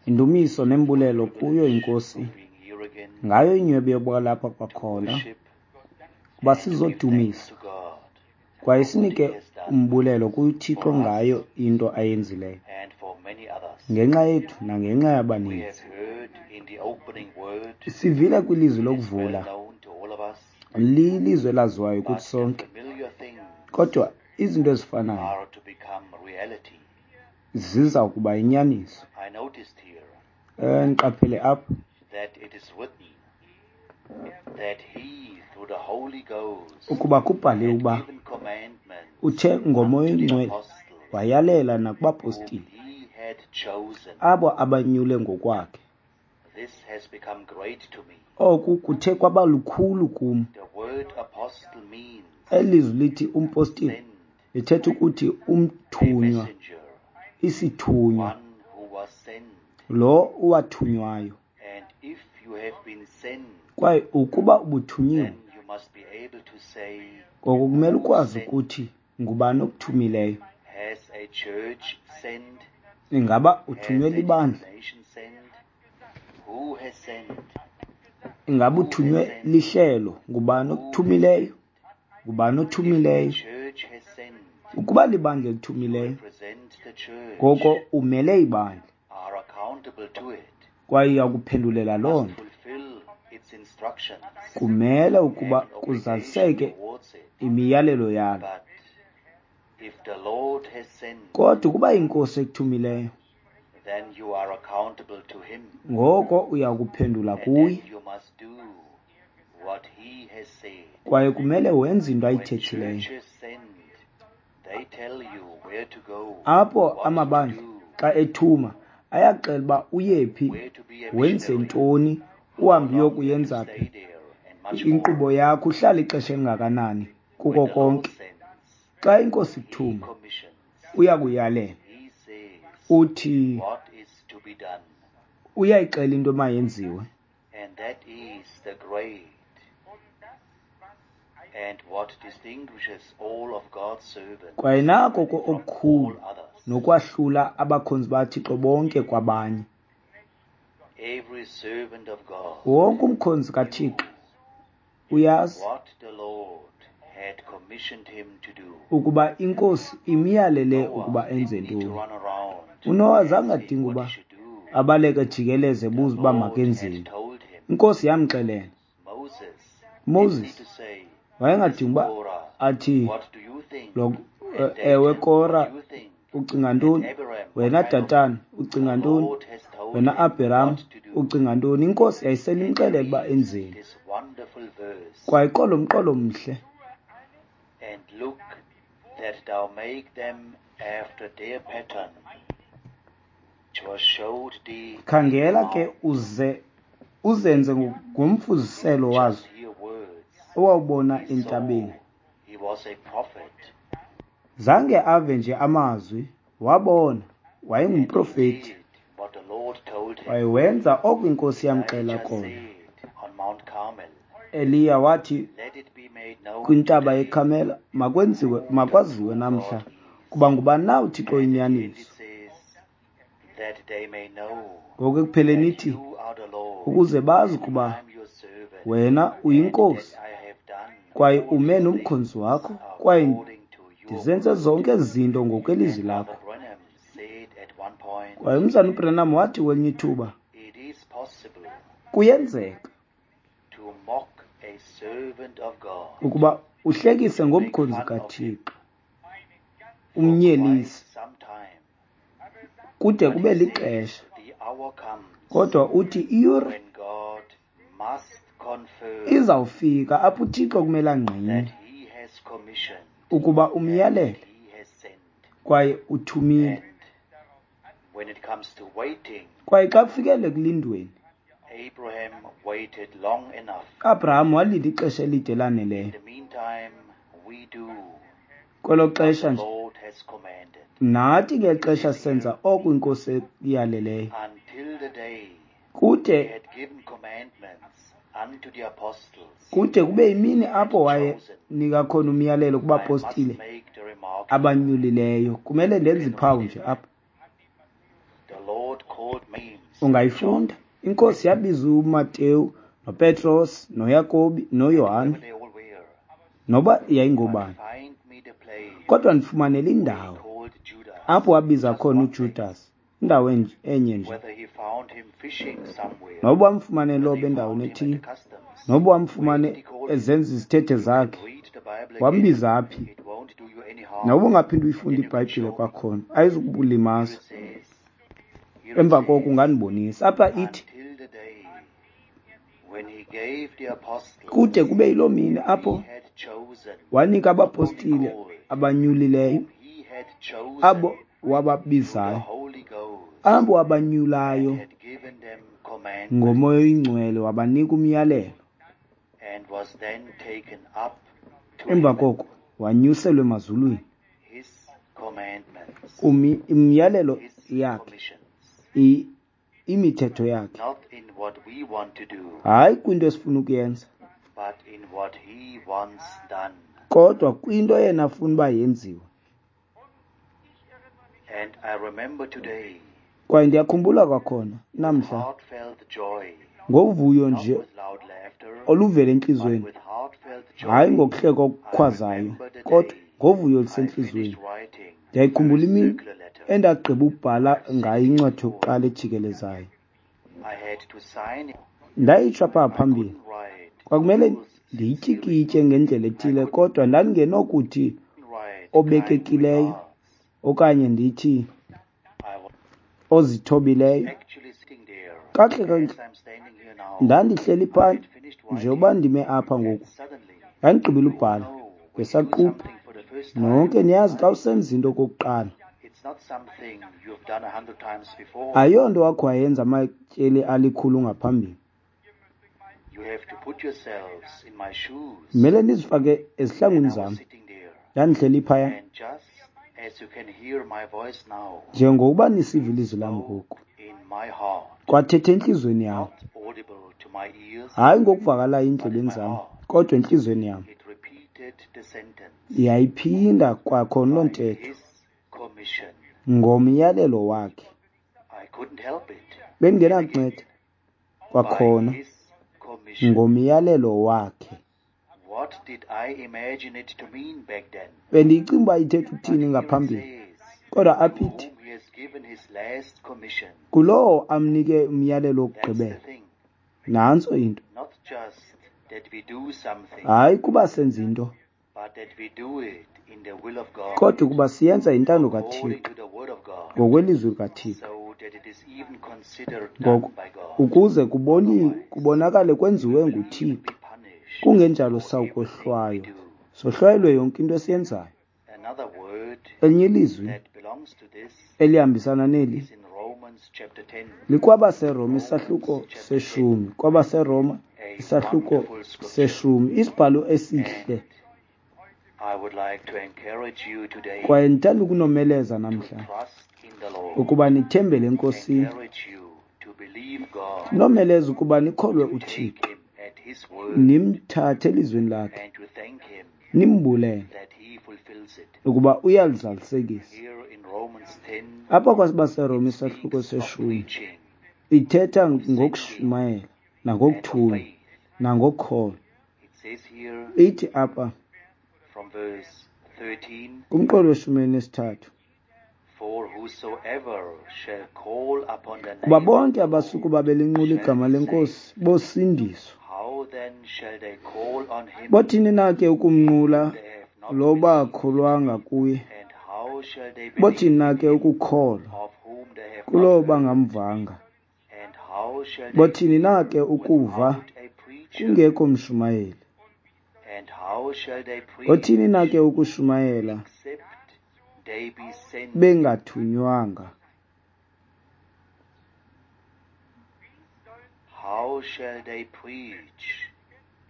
Indumiso nembulelo kuyo iNkosi ngayo inyhweba yokuba lapha kwakhona, kuba sizodumisa kwaye sinike umbulelo kuThixo ngayo into ayenzileyo ngenxa yethu nangenxa yabaninzi. Sivile kwilizwi lokuvula, lilizwi elaziwayo kuthi sonke, kodwa izinto ezifanayo ziza kuba yinyaniso. Ndiqaphele apha ukuba kubhaliwe ukuba uthe ngoMoya oyiNgcwele wayalela nakubapostile abo abanyule ngokwakhe. Oku kuthe kwaba lukhulu kum. Eli lizwi lithi umpostile lithetha ukuthi umthunywa, isithunywa, lo uwathunywayo. Kwaye ukuba ubuthunyiwe, ngoko kumele ukwazi ukuthi ngubani okuthumileyo. Ingaba uthunywe libandla? Ingaba uthunywe lihlelo? Ngubani okuthumileyo? Ngubani othumileyo? Ukuba libandla elithumileyo, ngoko umele ibandla kwaye uyakuphendulela loo nto. Kumele ukuba kuzaliseke imiyalelo yalo. Kodwa ukuba iNkosi ekuthumileyo, ngoko uyakuphendula kuye kwaye kumele wenze into ayithethileyo. Apho amabandla xa ethuma ayaxela uba uyephi, wenze ntoni, uhambe uyokuyenza phi, inkqubo yakho, uhlale ixesha elingakanani, kuko konke. Xa iNkosi ikuthuma, uyakuyalela, uthi uyayixela into emayenziwe. Kwaye nako okukhulu nokwahlula abakhonzi baThixo bonke kwabanye. Wonke umkhonzi kaThixo uyazi ukuba iNkosi imyalele ukuba enze ntoni. UNowa zange adinge uba abaleke jikeleze ebuza uba makenzeni. INkosi yamxelela. Moses wayengadingi uba athi, ewe Kora, ucinga ntoni? Wena Datana, ucinga ntoni? Wena Abraham, ucinga ntoni? INkosi yayisele imxelele uba enzeni. Kwaye qolo mqolo mhle. Khangela ke uze uzenze ngomfuziselo wazo owawubona entabeni. Zange ave nje amazwi, wabona, wayengumprofeti. Kwaye wenza oko iNkosi yamxela kona. Eliya wathi kwintaba yeKarmele, makwenziwe, makwaziwe namhla kuba ngubani na uThixo oyinyaniso. Ngoku ekupheleni ithi, ukuze bazi ukuba wena uyiNkosi kwaye ume nomkhonzi wakho, kwaye ndizenze zonke ezi zinto ngokwelizwi lakho. Kwaye umzana uBranham wathi kwelinye ithuba, kuyenzeka ukuba uhlekise ngomkhonzi kaThixo, umnyelise kude kube lixesha. Kodwa uthi iyure izawufika apho uThixo kumele angqine ukuba umyalele kwaye uthumile. Kwaye xa kufikele ekulindweni, Abraham walinda ixesha elide elaneleyo. Kwelo xesha nje, nathi ngeli xesha senza oko iNkosi iyaleleyo. Kude kube yimini apho wayenika khona umyalelo kubapostile abanyulileyo. Kumele ndenze iphawu nje apha. Ungayifunda. INkosi yabiza uMateyu noPetros noYakobi noYohane, noba yayingobani. Kodwa ndifumanele indawo apho wabiza khona uJudas, indawo enye nje. Noba wamfumane loba endaweni ethile, noba wamfumane ezenza izithethe zakhe, wambiza phi? Noba ungaphinda uyifunde iBhayibhile kwakhona, ayizukulimaza. Emva koko ungandibonisa. Apha ithi, kude kube yiloo mini apho wanika abapostile abanyulileyo, abo wababizayo, abo wabanyulayo ngoMoya oyiNgcwele, wabanika umyalelo. Emva koko wanyuselwa emazulwini. Imiyalelo yakhe, imithetho yakhe, hayi kwinto esifuna ukuyenza, kodwa kwinto yena afuna uba yenziwe. Kwaye ndiyakhumbula kwakhona namhla ngovuyo nje oluvela entliziyweni, hayi ngokuhleka okukhwazayo, kodwa ngovuyo olusentliziyweni. Ndiyayikhumbula imini endagqiba ukubhala ngayo incwadi yokuqala ejikelezayo. Ndayitsho apha phambili, kwakumele ndiyityikitye ngendlela ethile, kodwa ndandingenokuthi obekekileyo okanye ndithi ozithobileyo. Kakuhle ndandihleli phaa njengoba ndime apha ngoku, ndandigqibile ubhala ngesaquphe. Nonke niyazi xa usenza into okokuqala, ayonto wakho wayenza amatyeli alikhulu ngaphambili. Kumele ndizifake ezihlangwini zam. Ndandihleli phaya njengokuba nisiva ilizwi lam ngoku, kwathetha entliziyweni yam, hayi ngokuvakalayo endlebeni zam, kodwa entliziyweni yam. Yayiphinda kwakhona loo ntetho ngomyalelo wakhe. Bendingenakunceda kwakhona ngomyalelo wakhe. Bendiyicinga uba ithetha ukuthini ngaphambili, kodwa apha ithi kulowo amnike umyalelo wokugqibela. Nantso into. Hayi kuba senza into, kodwa ukuba siyenza intando kaThixo ngokwelizwi likaThixo, ngoko ukuze kubonakale kwenziwe nguThixo. Kungenjalo sawukohlwaywa, sohlwayelwe yonke into esiyenzayo. Elinye ilizwi elihambisana neli likwabaseRoma isahluko seshumi, kwabaseRoma isahluko seshumi, isibhalo esihle. Kwaye ndithanda ukunomeleza namhla ukuba nithembele eNkosini, ndinomeleza ukuba nikholwe uThixo, nimthathe elizwini lakhe, nimbulele ukuba uyalizalisekisa. Apha kwabaseRoma isahluko seshumi ithetha ngokushumayela nangokuthunywa nangokholo. Ithi apha kumqolo weshumi nesithathu, kuba bonke abasukuba belinqula igama leNkosi bosindiswa. Bothini na ke ukumnqula lo bakholwanga kuye? Bothini na ke ukukholwa kulowo bangamvanga? Bothini na ke ukuva kungekho mshumayeli? Bothini na ke ukushumayela bengathunywanga?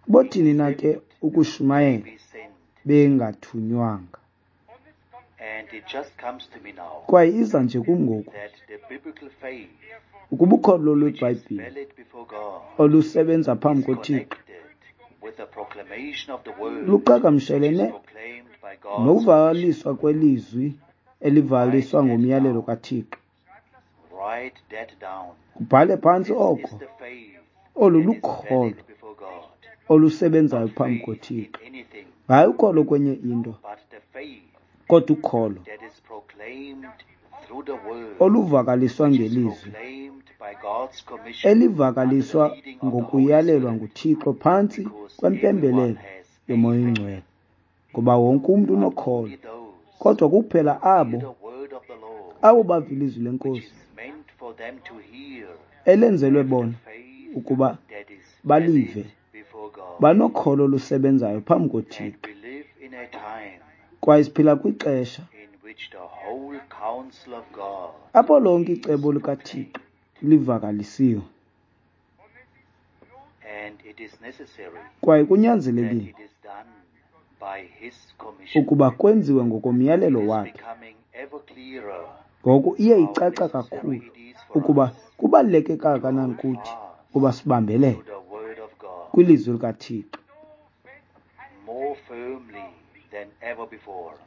Bothini na ke ukushumayela bengathunywanga? Kwaye iza nje kum ngoku ukuba ukholo lweBhayibhile olusebenza phambi koThixo luqhagamshelene nokuvakaliswa kwelizwi elivakaliswa ngomyalelo kaThixo. Kubhale phantsi oko. Olu lukholo olusebenzayo phambi koThixo. Hayi ukholo kwenye into, kodwa ukholo oluvakaliswa ngelizwi, elivakaliswa ngokuyalelwa nguThixo phantsi kwempembelelo yoMoya oyiNgcwele, ngoba wonke umntu unokholo, kodwa kuphela abo bava ilizwi leNkosi elenzelwe bona ukuba balive, banokholo olusebenzayo phambi koThixo. Kwaye siphila kwixesha apho lonke icebo likaThixo livakalisiwe, kwaye kunyanzelekile ukuba kwenziwe ngokomyalelo wakhe. Ngoku iye icaca kakhulu ukuba kubaluleke kangakanani kuthi ukuba sibambelele kwilizwi likaThixo,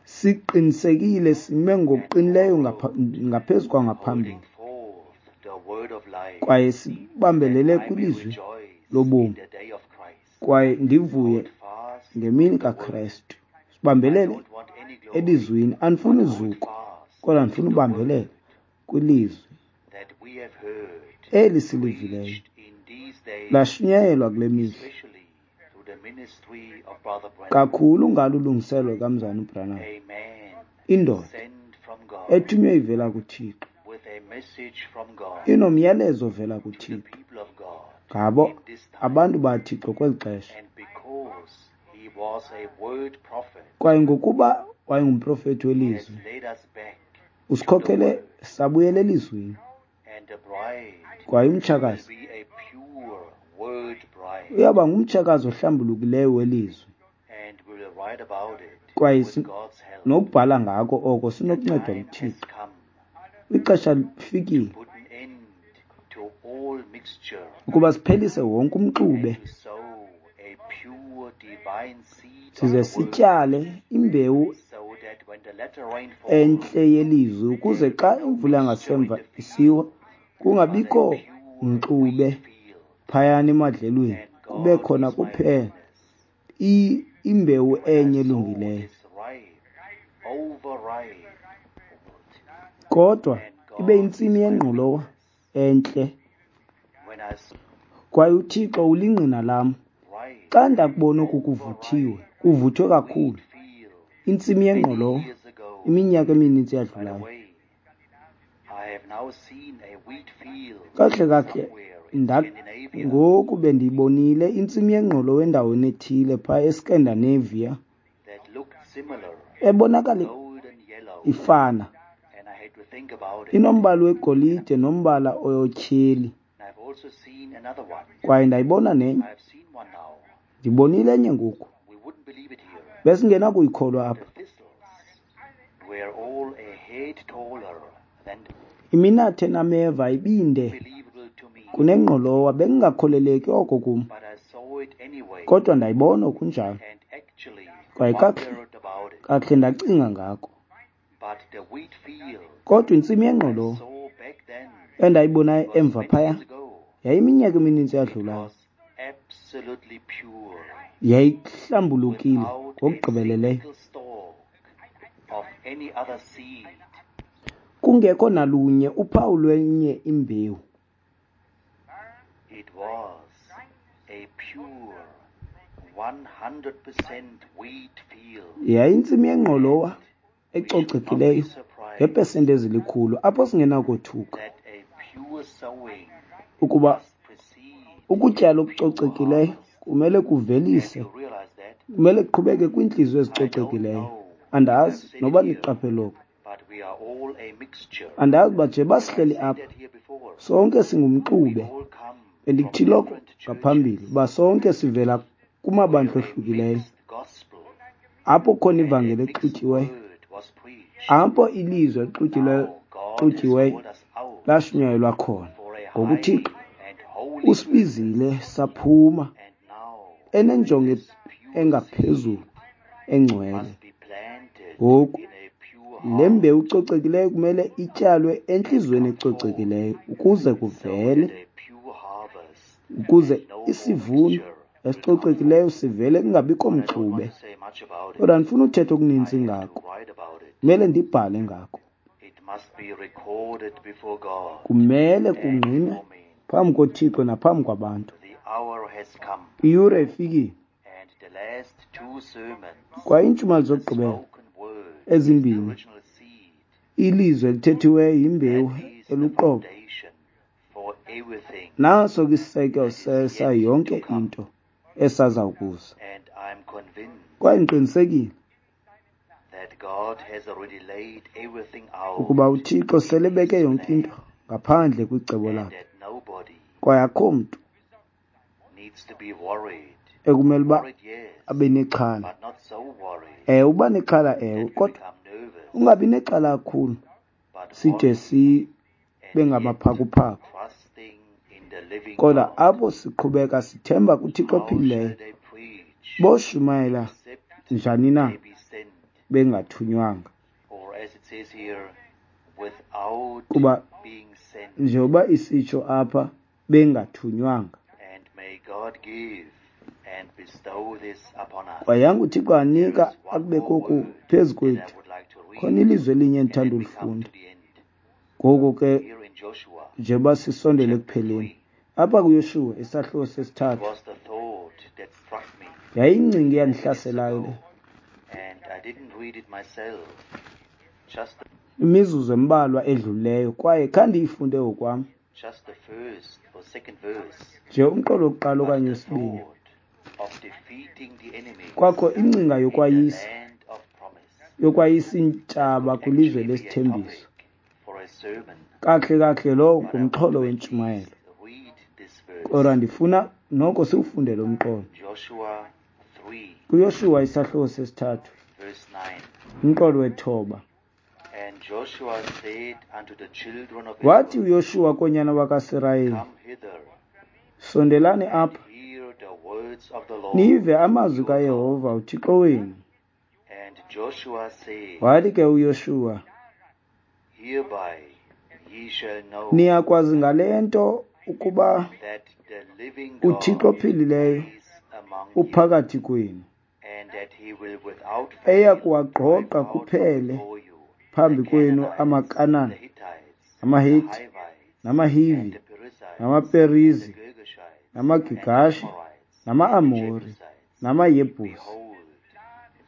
siqinisekile, sime ngokuqinileyo ngaphezu kwangaphambili, kwaye sibambelele kwilizwi lobomi, kwaye ndivuye ngemini kaKrestu. Sibambelele elizwini. Andifuni zuko, kodwa ndifuna ubambelela kwilizwi eli silivileyo lashunyayelwa kule mihla, kakhulu ngalo ulungiselelo kaMzalwana uBranham, indoda ethunywe ivela kuThixo, inomyalezo ovela kuThixo ngabo abantu baThixo kweli xesha. Kwaye ngokuba wayengumprofethi welizwi, usikhokhele sabuyela elizwini. Kwaye umtshakazi uyaba ngumtshakazi ohlambulukileyo welizwi, kwaye nokubhala ngako oko sinokuncedwa nguThixo. Ixesha lifikile ukuba siphelise wonke umxube, size sityale imbewu entle yelizwi, ukuze xa imvula yangasemva isiwa kungabikho mxube phayana emadlelweni, kube khona kuphela imbewu enye elungileyo, kodwa ibe yintsimi yengqolowa entle. Kwaye uThixo ulingqina lam, xa ndakubona oku kuvuthiwe, kuvuthwe kakhulu, intsimi yengqolowa, iminyaka emininzi yadlulayo. Kakuhle kakuhle, ngoku bendiyibonile intsimi yengqolowa endaweni ethile phaa eScandinavia, ebonakala ifana, inombala wegolide nombala otyheli. Kwaye ndayibona nenye, ndibonile enye ngoku, besingenakuyikholwa apha. Iminathe enameva ibinde kunengqolowa, bekungakholeleki oko kum, kodwa ndayibona okunjalo. Kwaye kakuhle ndacinga ngako. Kodwa intsimi yengqolowa endayibonayo emva phaya yayiminyaka emininzi yadlulayo, yayihlambulukile ngokugqibeleleyo, kungekho nalunye uphawu lwenye imbewu. It was a pure 100% wheat field. Yayintsimi yengqolowa ecocekileyo ngeepesenti ezilikhulu, apho singenakothuka That a pure sowing ukuba must precede ukutyala okucocekileyo kumele kuvelise, You realize that? kumele kuqhubeke kwiintliziyo ezicocekileyo. Andazi noba niqaphele oko. But we are all a mixture. Andazi uba nje basihleli apha That here before. sonke singumxube. All come Bendikuthile oko ngaphambili uba sonke sivela kumabandla ohlukileyo, mixed gospel. apho khona ivangeli exutyiweyo, Word was preached. apho ilizwi exutyiweyo God has xutyiweyo called us out lashunyayelwa khona. for a Ngoku uThixo high and holy usibizile saphuma and now enenjongo engaphezulu engcwele. must be planted Ngoku in a pure Le mbewu icocekileyo kumele ityalwe entliziyweni ecocekileyo ukuze so kuvele, that a pure harvest ukuze and no more isivuno mixture will come forth. esicocekileyo sivele kungabikho But I don't want mxube. to say much about Kodwa it. andifuni uthetha I okuninzi have to ngako, write about it. kumele ndibhale ngako. It must be recorded before God Kumele and kungqinwe before men. phambi koThixo naphambi kwabantu. The hour has come, Iyure ifikile, and the last two sermons, kwaye iintshumayelo the zokugqibela spoken word is the ezimbini, original seed. ilizwi elithethiweyo yimbewu That is the eluqobo. foundation for everything Naso ke isiseko that is sesa yet to yonke come. into esazawukuza. And I'm convinced Kwaye ndiqinisekile that God has already laid everything ukuba out uThixo in selebeke His yonke plan, into ngaphandle kwicebo and lakhe, that nobody kwaye akho mntu needs to be worried. ekumele uba Worried, yes, abe nexhala. but not so worried Ewe, uba nexhala ewe, that we kodwa become nervous, ungabi nexhala kakhulu but side worried sibe and yet ngamaphakuphaku. trusting in the living Kodwa God. apho siqhubeka sithemba kuThixo How shall ophilileyo, they preach boshumayela except njani na they be sent? bengathunywanga? Or as it says here, without Kuba being sent. njengoba isitsho apha, bengathunywanga. And may God give and bestow this upon us. Kwayanga uThixo There anika is one akube more koku word phezu that I kwethu. would like to Khona read, ilizwi elinye and endithanda then we come ulifunda. to the end. Ngoku ke Here in Joshua njengoba sisondele chapter ekupheleni, 3, apha kuYoshuwa isahluko it sesithathu, was the thought that struck me yayingcinga minutes eyandihlaselayo ago, le. and I didn't read it myself. Just Imizuzu embalwa edlulileyo, kwaye khandiyifunde ngokwam. just the first or second verse, Nje umqolo wokuqala but okanye the wesibini. thought of defeating the enemies Kwakho ingcinga in the yokwayisa, land of promise yokwayisa that iintshaba could kwilizwe actually be a lesithembiso. topic for a sermon. Kakuhle kakuhle lowo But I want ngumxholo to at wentshumayelo. least read this verse. Kodwa ndifuna noko siwufunde lo mqolo. Joshua 3, KuYoshuwa isahluko sesithathu, verse 9. umqolo wethoba. And Joshua said unto the children of Wathi Israel, uYoshuwa koonyana bakaSirayeli, Come hither sondelani and apha, hear the words of the Lord nive amazwi your God. kaYehova uThixo wenu. And Joshua said, Wathi ke uYoshuwa, Hereby ye shall know niyakwazi ngale nto ukuba that the living uThixo God ophilileyo is among you, uphakathi kwenu, and that he will without eya fail drive kuwagqogqa out from kuphele before you the phambi kwenu Canaanites, amaKanan, the Hittites, the amaHiti, Hivites, and namaHivi, the Perizzites, and the namaPerizi, Girgashites, and the namaGigashi, Amorites, and the nama-Amori, Jebusites. namaYebhusi. Behold,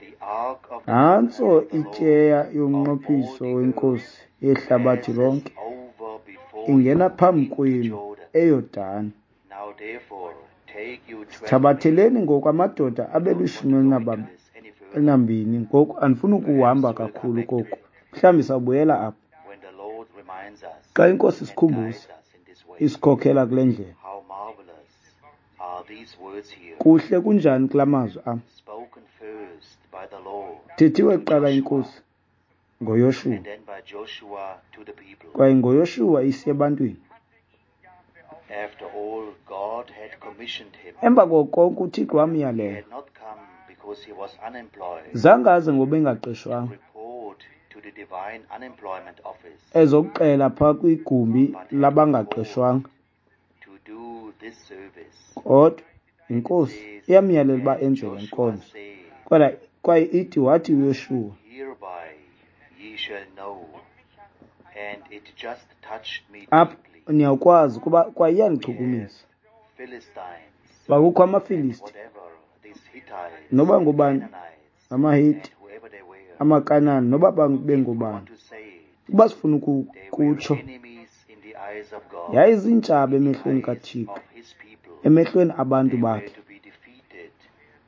the ark of the Nantso covenant of the Lord ityeya of all yomnqophiso the earth weNkosi yehlabathi passes lonke over before ingena you phambi into kwenu Jordan. eYordani. Now therefore take you 12 men. Sithabatheleni ngoku amadoda I abe don't want lishumi to go into this any further. elinambini. Ngoku andifuni ukuhamba Perhaps we'll come kakhulu back to koku, it mhlawumbi sawubuyela apha when the Lord reminds us xa iNkosi and isikhumbuza guides us in this way. isikhokela kule ndlela. How marvelous are these words here, Kuhle kunjani kula mazwi am spoken first by the Lord thethiwe to kuqala Joshua inkosi ngoYoshuwa, and then by Joshua to the people. kwaye ngoYoshuwa isiya ebantwini. After all, God had commissioned him. Emva koko konke uThixo He wamyalela. had not come because he was unemployed Zange aze ngoba to engaqeshwanga report to the divine unemployment office, ezokuxela phaa kwigumbi but had been called labangaqeshwanga. to do this service. Kodwa And it inkosi says, iyamyalela uba And enze le Joshua nkonzo. said, Kodwa kwaye ithi wathi uYoshuwa, Hereby ye shall know. And it just touched me apha deeply. niyawukwazi kuba kwaye We have iyandichukumisa. Philistines Kwakukho and amaFilisti whatever these Hittites noba and ngubani, Canaanites amaHiti, and whoever they were. amaKanani noba If we bengobani. want to say it, Ukuba sifuna they were ukutsho, enemies in the eyes of God, yayiziintshaba in the emehlweni eyes kaThixo, of his people. emehlweni abantu They were bakhe. to be defeated,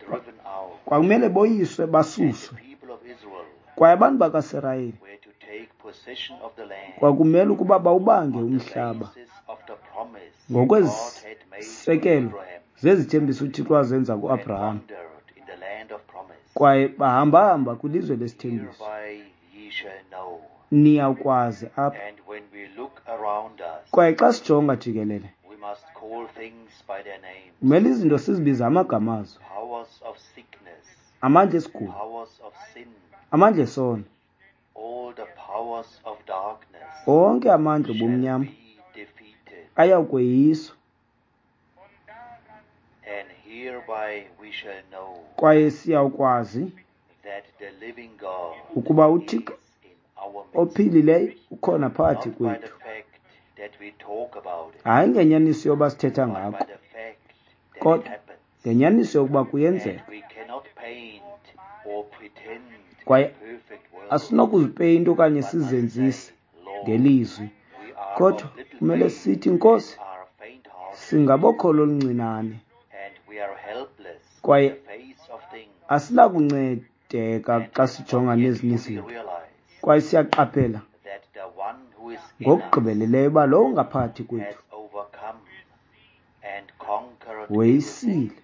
driven out, Kwakumele boyiswe and the basuswe. people of Israel Kwaye abantu bakaSirayeli were to take possession of the land kwakumele ukuba bawubange on the umhlaba basis of the promise God had made to ngokwezisekelo Abraham zezithembiso uThixo wazenza and kuAbraham. wandered in the land of promise. Kwaye bahambahamba kwilizwe lesithembiso. Hereby ye shall know. Niyawukwazi apha. And when we look around us, Kwaye xa sijonga jikelele, we must call things by their names. kumele izinto sizibize amagama azo. Powers of sickness, Amandla esigulo, powers of sin, amandla esono, Onke amandla obumnyama ayawukweyiswa. Kwaye siyawukwazi ukuba uThixo ophilileyo ukhona phakathi kwethu. Hayi ngenyaniso yoba sithetha ngako, kodwa ngenyaniso yokuba kuyenzeka. Kwaye asinokuzipeyinta okanye sizenzise ngelizwi, kodwa kumele sithi, Nkosi, singabokholo oluncinane kwaye asinakuncedeka xa sijonga nezinye izinto. Kwaye siyaqaphela ngokugqibeleleyo uba lowo ungaphakathi kwethu weyisile,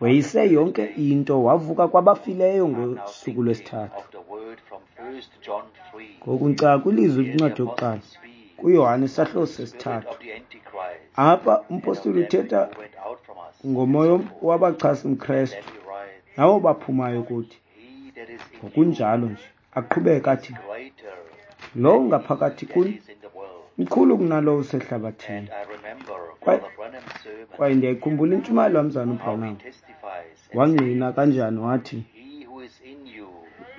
weyise yonke into, wavuka kwabafileyo ngosuku lwesithathu. Ngoku ndicaka kwilizwi kwincwadi yokuqala kuYohane isahluko sesithathu. Apha umpostile uthetha ngomoya wabachasi mKrestu nabo baphumayo kuthi. Ngokunjalo nje aqhubeka athi, lowo ungaphakathi kuni mkhulu kunalowo usehlabathini. Kwaye ndiyayikhumbula intshumayelo kamzana uBranham, wangqina kanjani wathi,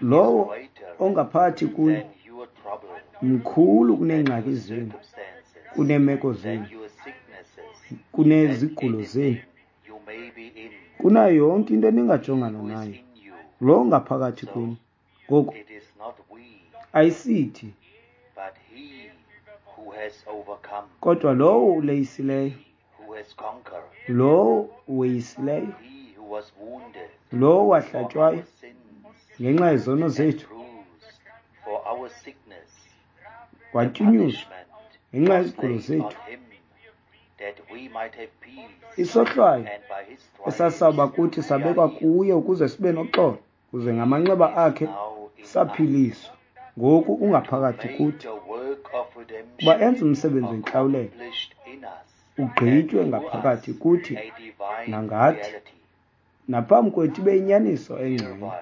lowo ongaphakathi kuni mkhulu kuneengxaki zenu, kuneemeko zenu, kunezigulo zenu, kunayo yonke into eningajongana nayo. Lo ngaphakathi kuni. Ngoku ayisithi, kodwa lowo uleyisileyo, lowo weyisileyo, lowo wahlatywayo ngenxa yezono zethu, watyunyuzwa ngenxa yezigulo zethu, isohlwayo esasawuba kuthi sabekwa kuye ukuze sibe noxolo, kuze ngamanxeba akhe saphiliswa. Ngoku ungaphakathi kuthi, kuba enza umsebenzi wentlawulelo ugqitywe ngaphakathi kuthi nangathi, naphambi kwethu ibe yinyaniso engcwele.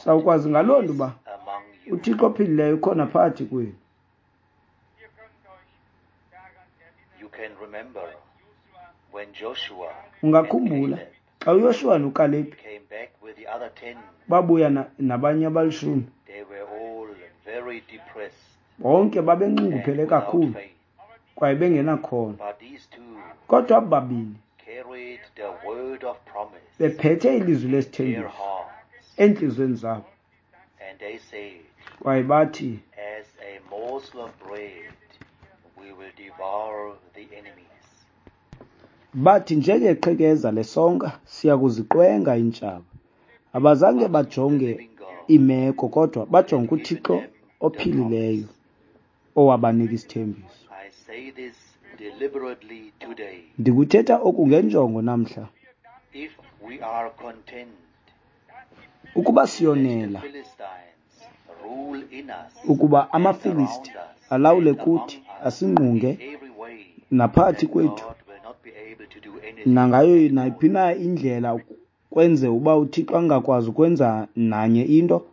Sawukwazi ngaloo nto uba uThixo ophilileyo ukhona phakathi kwenu. Ungakhumbula xa uYoshuwa noKalebhi babuya nabanye abalishumi, bonke babenxunguphele kakhulu kwaye bengenakholo. Kodwa aba babini bephethe ilizwi lesithembiso eentliziyweni zabo, kwaye bathi, bathi njengeqhekeza lesonka siya kuziqwenga iintshaba. Abazange bajonge imeko, kodwa bajonge uThixo ophilileyo owabanika isithembiso. Ndikuthetha oku ngenjongo namhla. Ukuba siyonela ukuba amaFilisti alawule kuthi, asingqunge naphakathi kwethu, nangayo nayiphi na indlela kwenze uba uThixo angakwazi ukwenza nanye into.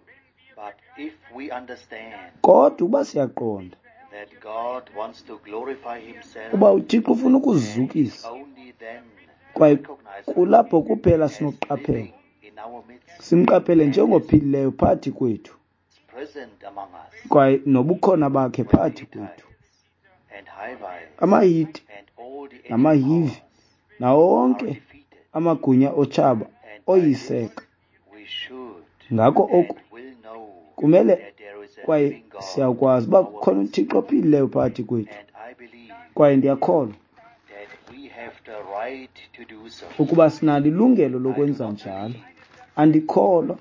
Kodwa uba siyaqonda uba uThixo ufuna ukuzizukisa, kwaye kulapho kuphela sinokuqaphela, simqaphele njengophilileyo phakathi kwethu, kwaye nobukhona bakhe phakathi kwethu. AmaHiti namaHivi nawo wonke amagunya otshaba oyiseka. Ngako oku kumele, kwaye siyakwazi uba kukhona uThixo ophilileyo phakathi kwethu, kwaye ndiyakholwa ukuba sinalo ilungelo lokwenza njalo. Andikholwa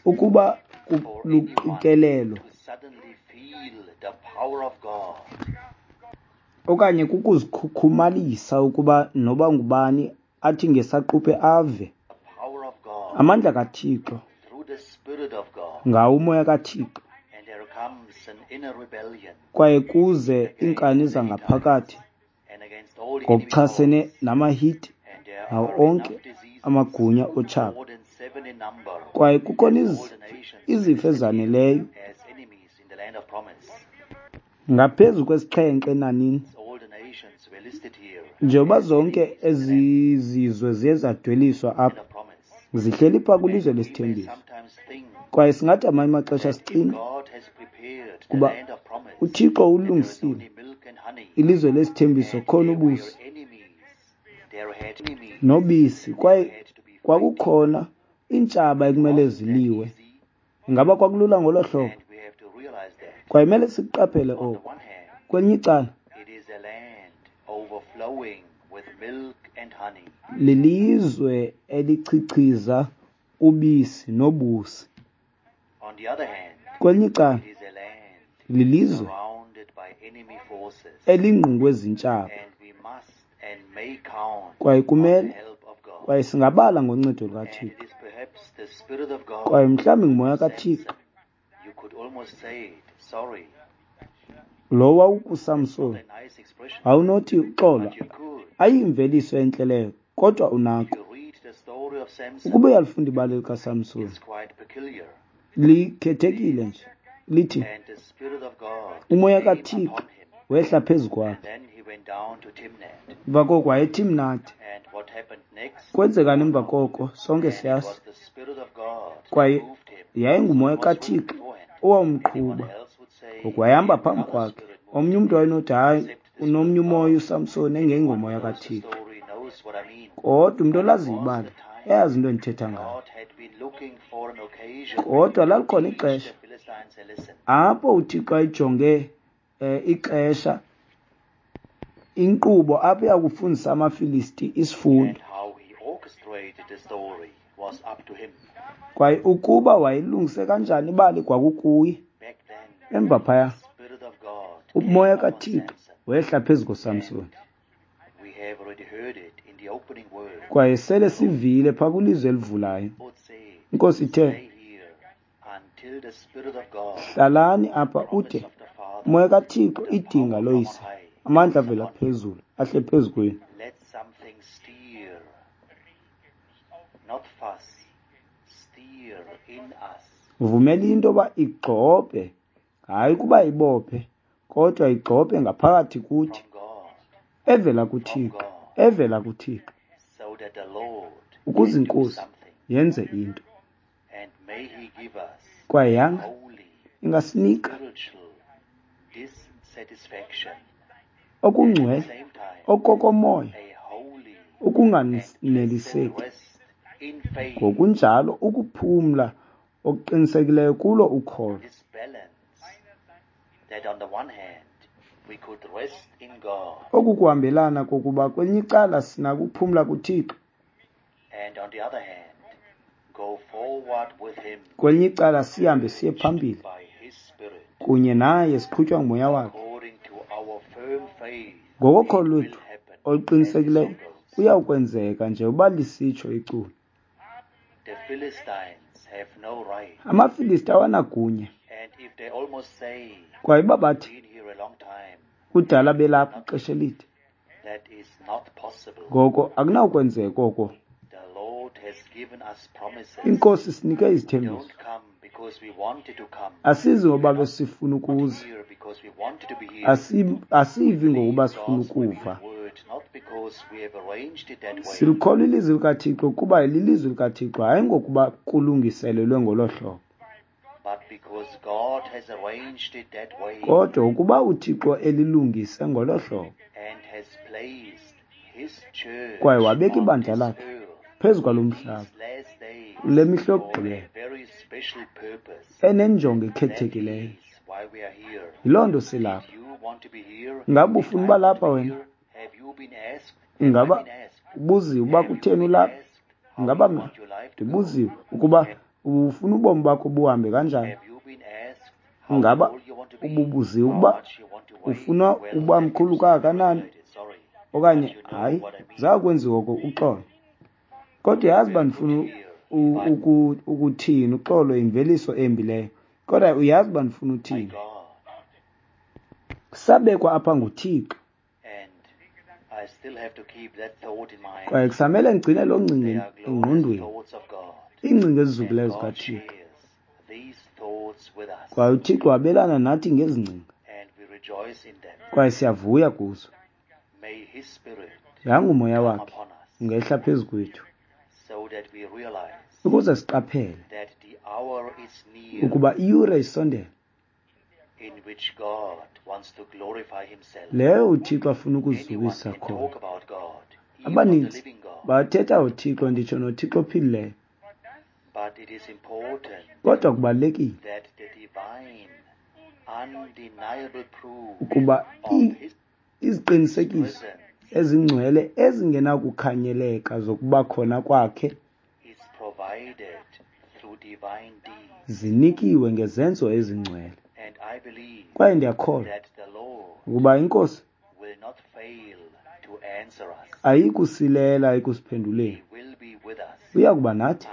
ukuba luqikelelo okanye kukuzikhukhumalisa ukuba noba ngubani athi ngesaquphe ave amandla kaThixo ngawo umoya kaThixo, kwaye kuze iinkani zangaphakathi Ngokuchasene namaHiti nawo onke amagunya otshaba. Kwaye kukhona izifo ezaneleyo ngaphezu kwesixhenxe enanini, njengoba zonke ezi zizwe ziye zadweliswa apha, zihleli phaa kwilizwe lesithembiso. Kwaye singathi amanye amaxesha sicinge kuba uThixo ulungisile ilizwe lesithembiso, khona ubusi nobisi, kwaye kwakukhona iintshaba ekumele ziliwe. Ingaba kwakulula ngolo hlobo? Kwaye kumele sikuqaphele oko. Kwelinye icala, lilizwe elichichiza ubisi nobusi. Kwelinye icala, lilizwe elingqungwe zintshaba, kwaye kumele kwaye singabala ngoncedo lukaThixo. Kwaye mhlawumbi ngumoya kaThixo lo wawukuSamson. Awunothi uxolo, ayimveliso entle leyo, kodwa unako. Ukuba uyalifunda ibali likaSamson, likhethekile nje, lithi umoya kaThixo wehla phezu kwakhe. Emva koko wayeTimnati. Kwenzekani emva koko? Sonke siyazi. Kwaye yayingumoya kaThixo owawumqhuba, ngoku wayehamba phambi kwakhe. Omnye umntu wayenothi, hayi, unomnye umoya uSamson engengomoya kaThixo. Kodwa umntu olaziyo ibali eyazi into endithetha ngayo. Kodwa lalikhona ixesha apho uThixo ayijonge ixesha, inkqubo apho yakufundisa amaFilisti isifundo. Kwaye ukuba wayelungise kanjani ibali kwakukuye. Emva phaya, umoya kaThixo wehla phezu koSamson. Kwaye sele sivile phaa kwilizwe elivulayo. Inkosi ithe, hlalani apha ude umoya kaThixo, idinga loyise, amandla avela phezulu ahle phezu kwenu. Vumela into yoba igxobhe, hayi ukuba ibophe, kodwa igxobhe ngaphakathi kuthi, evela kuThixo, evela kuThixo, ukuze iNkosi yenze into. Kwaye yanga ingasinika okungcwele, okokomoya, ukunganeliseki, ngokunjalo ukuphumla okuqinisekileyo kulo ukholo. Oku kuhambelana kokuba kwelinye icala sinako ukuphumla kuThixo, kwelinye icala sihambe siye phambili kunye naye siqhutywa ngumoya wakhe. Ngokokholo lwethu oluqinisekileyo kuyawukwenzeka njengoba lisitsho iculo. AmaFilisti awanagunya. Kwaye uba bathi kudala belapha ixesha elide, ngoko akunawukwenzeka oko. Inkosi sinike izithembiso. Asizi ngoba besifuna ukuza, asivi ngokuba sifuna ukuva. Silikholwa ilizwi likaThixo kuba lilizwi likaThixo, hayi ngokuba kulungiselelwe ngolo hlobo, kodwa ukuba uThixo elilungise ngolo hlobo kwaye wabeka ibandla lakhe phezu kwalo mhlaba kule mihla yokugqibela enenjongo ekhethekileyo. Yiloo nto silapha. Ingaba ufuna uba lapha wena? Ingaba ubuziwe uba kutheni ulapha? Ingaba mna ndibuziwe ukuba ufuna ubomi bakho buhambe kanjani? Ingaba ububuziwe ukuba ufuna uba mkhulu kangakanani? Okanye hayi, zakwenziwa oko, uxolo. Kodwa yazi uba ndifuna ukuthini, uxolo yimveliso embi leyo. Kodwa uyazi uba ndifuna uthini. Sabekwa apha nguThixo. Kwaye kusamele ngigcine loo ngcinga engqondweni, iingcinga ezizukileyo zikaThixo. Kwaye uThixo wabelana nathi ngezi ngcinga, kwaye siyavuya kuzo. Yanga uMoya wakhe ungehla phezu kwethu, ukuze siqaphele ukuba iyure isondele leyo uThixo afuna ukuzukisa khona. Abaninzi bathetha uThixo, nditsho noThixo ophilileyo. Kodwa kubalulekile ukuba iziqinisekiso ezingcwele ezingenakukhanyeleka zokuba khona kwakhe zinikiwe ngezenzo ezingcwele. Kwaye ndiyakholwa ukuba iNkosi ayikusilela ekusiphenduleni. Uya kuba nathi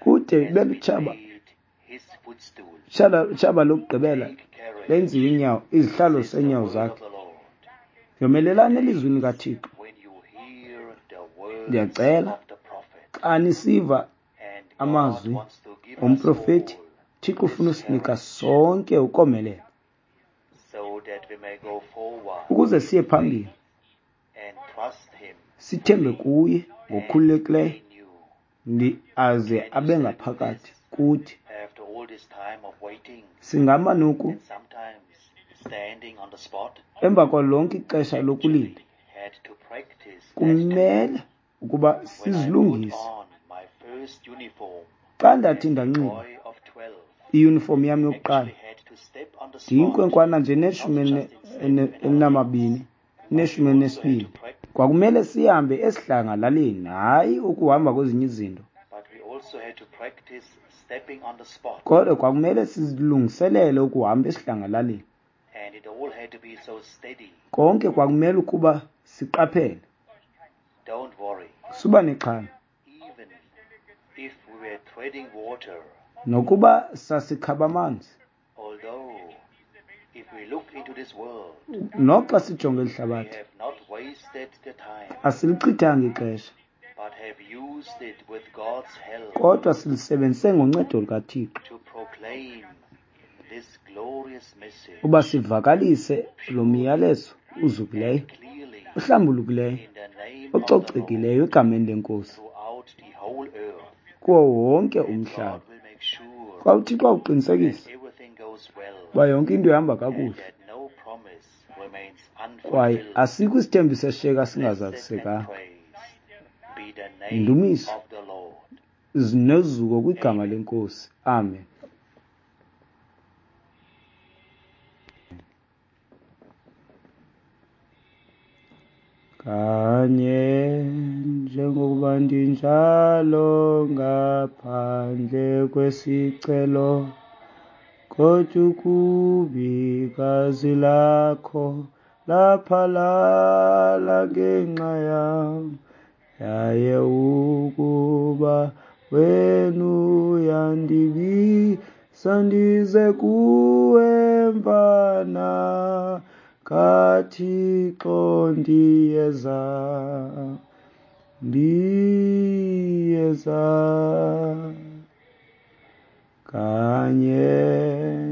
kude ibe lutshaba lokugqibela lenziwe inyawo, izihlalo seenyawo zakhe. Yomelelani elizwini likaThixo. Ndiyacela xa nisiva amazwi omprofeti, uThixo ufuna usinika sonke ukomelela ukuze siye phambili, sithembe kuye ngokukhululekileyo, aze abe ngaphakathi kuthi. Singama noku emva kwalo lonke ixesha lokulinda, kumele ukuba sizilungise. Xa ndathi ndanxiba iyunifomu yam yokuqala, ndiyinkwenkwana nje neshumi elinamabini, neshumi elinesibini, kwakumele sihambe esidlangalaleni, hayi ukuhamba kwezinye izinto. Kodwa kwakumele sizilungiselele ukuhamba esidlangalaleni. Konke kwakumele ukuba siqaphele. Suba nexhala. Nokuba sasikhaba amanzi, noxa sijonge elihlabathi, asilichithanga ixesha, kodwa silisebenzise ngoncedo lukaThixo uba sivakalise lo myalezo uzukileyo, uhlambulukileyo, ococekileyo egameni leNkosi kuwo wonke umhlaba. Xa uThixo awuqinisekisa uba yonke into ihamba kakuhle, kwaye asikho isithembiso esishiyeka singazalisekanga. Indumiso nozuko kwigama leNkosi. Amen. Kanye njengokuba ndinjalo ngaphandle kwesicelo, kodwa ukubi igazi lakho laphalala ngenxa yam, yaye ukuba wena uyandibisa ndize kuwe mvana kaThixo, ndiyeza, ndiyeza. Kanye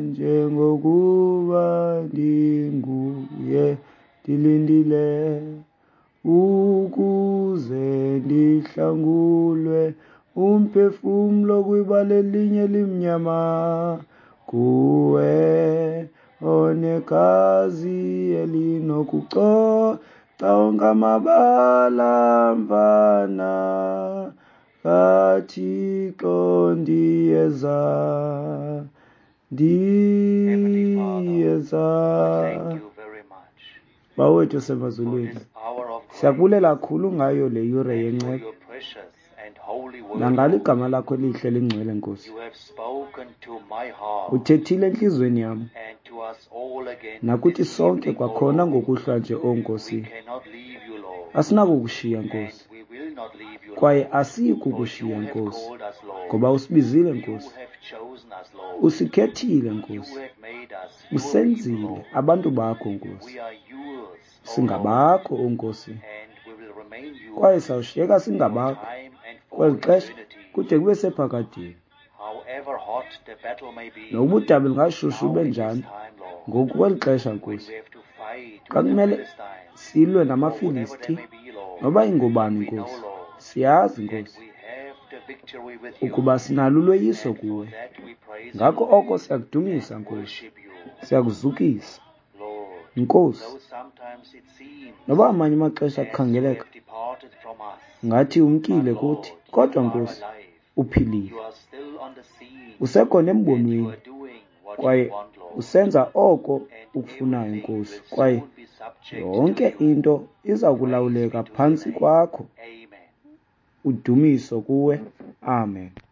njengokuba ndinguye ndilindile ukuze ndihlangulwe umphefumlo kwibala elinye limnyama, kuwe onegazi elinokucoca onke amabala mvana kaThixo, ndiyeza, ndiyeza. Bawethu osemazulwini, siyakubulela kakhulu ngayo le yure yenceba nangalo igama lakho elihle lingcwele, Nkosi. Uthethile entliziyweni yam nakuthi sonke kwakhona ngokuhlwa nje, o Nkosi. Asinakukushiya, Nkosi, kwaye asiyi kukushiya, Nkosi, ngoba usibizile, Nkosi. Usikhethile, Nkosi. Usenzile abantu bakho, Nkosi. Singabakho, o Nkosi, kwaye sawushiyeka singabakho kweli xesha kude kube sephakadeni. Nokuba udabi lungashushu lube njani, ngoku kweli xesha, Nkosi, xa kumele silwe namaFilisti, noba ingobani, Nkosi, siyazi, Nkosi, ukuba sinalo uloyiso kuwe. Ngako oko siyakudumisa, Nkosi, siyakuzukisa, Nkosi. Noba amanye amaxesha kukhangeleka ngathi umkile kuthi, kodwa Nkosi, uphilile, usekhona embonweni kwaye usenza oko ukufunayo, Nkosi, kwaye yonke into iza kulawuleka phantsi kwakho. Udumiso kuwe. Amen.